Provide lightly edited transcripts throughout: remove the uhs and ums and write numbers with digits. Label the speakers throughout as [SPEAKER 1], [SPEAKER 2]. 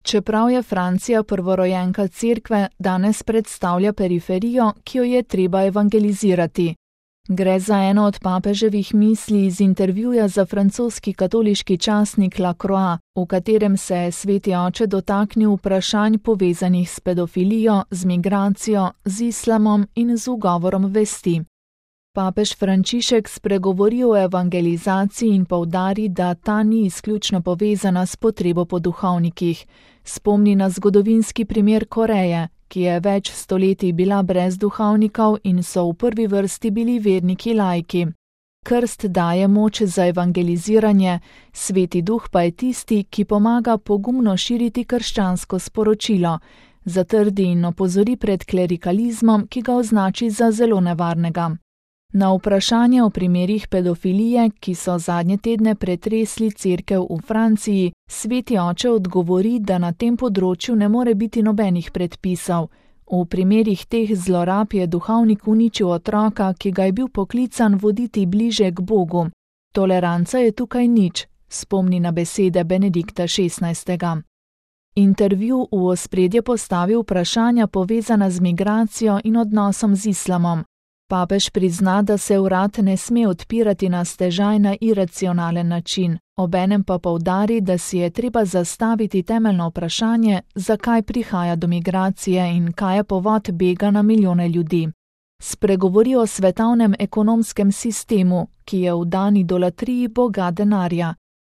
[SPEAKER 1] Čeprav je Francija prvorojenka cerkve, danes predstavlja periferijo, ki jo je treba evangelizirati. Gre za eno od papeževih misli iz intervjuja za francoski katoliški časnik La Croix, v katerem se je sveti oče dotaknil vprašanj povezanih s pedofilijo, z migracijo, z islamom in z ugovorom vesti. Papež Frančišek spregovori o evangelizaciji in poudari, da ta ni izključno povezana s potrebo po duhovnikih. Spomni na zgodovinski primer Koreje, ki je več stoletij bila brez duhovnikov in so v prvi vrsti bili verniki laiki. Krst daje moč za evangeliziranje, Sveti Duh pa je tisti, ki pomaga pogumno širiti krščansko sporočilo, zatrdi in opozori pred klerikalizmom, ki ga označi za zelo nevarnega. Na vprašanje o primerih pedofilije, ki so zadnje tedne pretresli cerkev v Franciji, sveti oče odgovori, da na tem področju ne more biti nobenih predpisov. V primerih teh zlorab je duhovnik uničil otroka, ki ga je bil poklican voditi bliže k Bogu. Toleranca je tukaj nič, spomni na besede Benedikta XVI. Intervju v ospredje postavi vprašanja povezana z migracijo in odnosom z islamom. Papež prizna, da se vrat ne sme odpirati na stežaj na iracionalen način, obenem pa poudari, da si je treba zastaviti temeljno vprašanje, zakaj prihaja do migracije in kaj je povod bega na milijone ljudi. Spregovori o svetovnem ekonomskem sistemu, ki je v dani idolatriji boga denarja.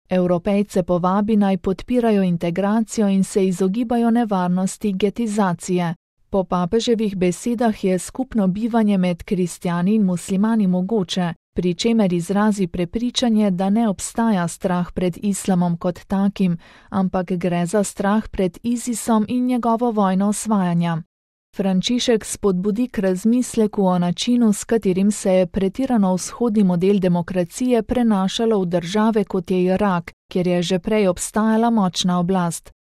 [SPEAKER 1] Evropejce povabi naj podpirajo integracijo in se izogibajo nevarnosti getizacije. Po papeževih besedah je skupno bivanje med kristjani in muslimani mogoče, pri čemer izrazi prepričanje, da ne obstaja strah pred islamom kot takim, ampak gre za strah pred ISISom in njegovo vojno osvajanja. Frančišek spodbudi k razmisleku o načinu, s katerim se je pretirano vzhodni model demokracije prenašalo v države kot je Irak, kjer je že prej obstajala močna oblast.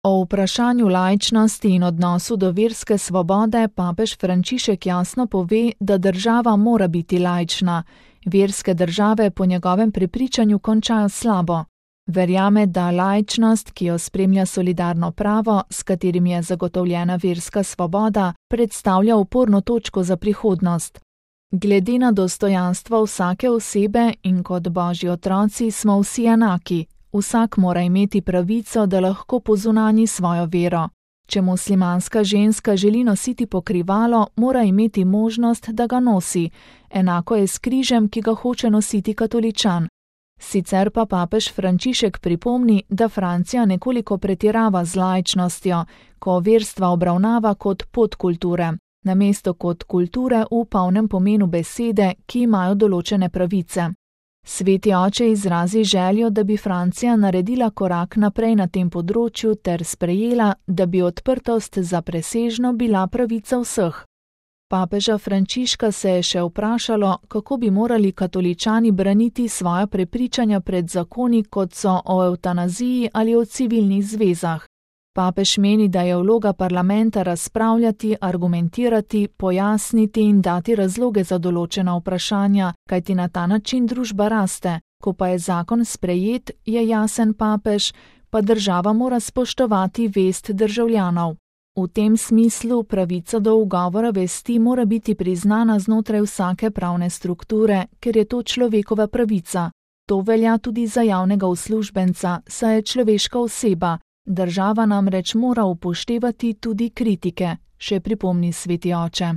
[SPEAKER 1] O vprašanju laičnosti in odnosu do verske svobode papež Frančišek jasno pove, da država mora biti laična. Verske države po njegovem prepričanju končajo slabo. Verjame, da laičnost, ki jo spremlja solidarno pravo, s katerim je zagotovljena verska svoboda, predstavlja oporno točko za prihodnost. Glede na dostojanstvo vsake osebe in kot božji otroci smo vsi enaki. Vsak mora imeti pravico, da lahko pozunanji svojo vero. Če muslimanska ženska želi nositi pokrivalo, mora imeti možnost, da ga nosi. Enako je s križem, ki ga hoče nositi katoličan. Sicer pa papež Frančišek pripomni, da Francija nekoliko pretirava z laičnostjo, ko verstva obravnava kot podkulture, namesto kot kulture v polnem pomenu besede, ki imajo določene pravice. Sveti oče izrazi željo, da bi Francija naredila korak naprej na tem področju ter sprejela, da bi odprtost za presežno bila pravica vseh. Papeža Frančiška se je še vprašalo, kako bi morali katoličani braniti svoja prepričanja pred zakoni, kot so o evtanaziji ali o civilnih zvezah. Papež meni, da je vloga parlamenta razpravljati, argumentirati, pojasniti in dati razloge za določena vprašanja, kajti na ta način družba raste. Ko pa je zakon sprejet, je jasen papež, pa država mora spoštovati vest državljanov. V tem smislu pravica do ugovora vesti mora biti priznana znotraj vsake pravne strukture, ker je to človekova pravica. To velja tudi za javnega uslužbenca, saj je človeška oseba. Država namreč mora upoštevati tudi kritike, še pripomni sveti oče.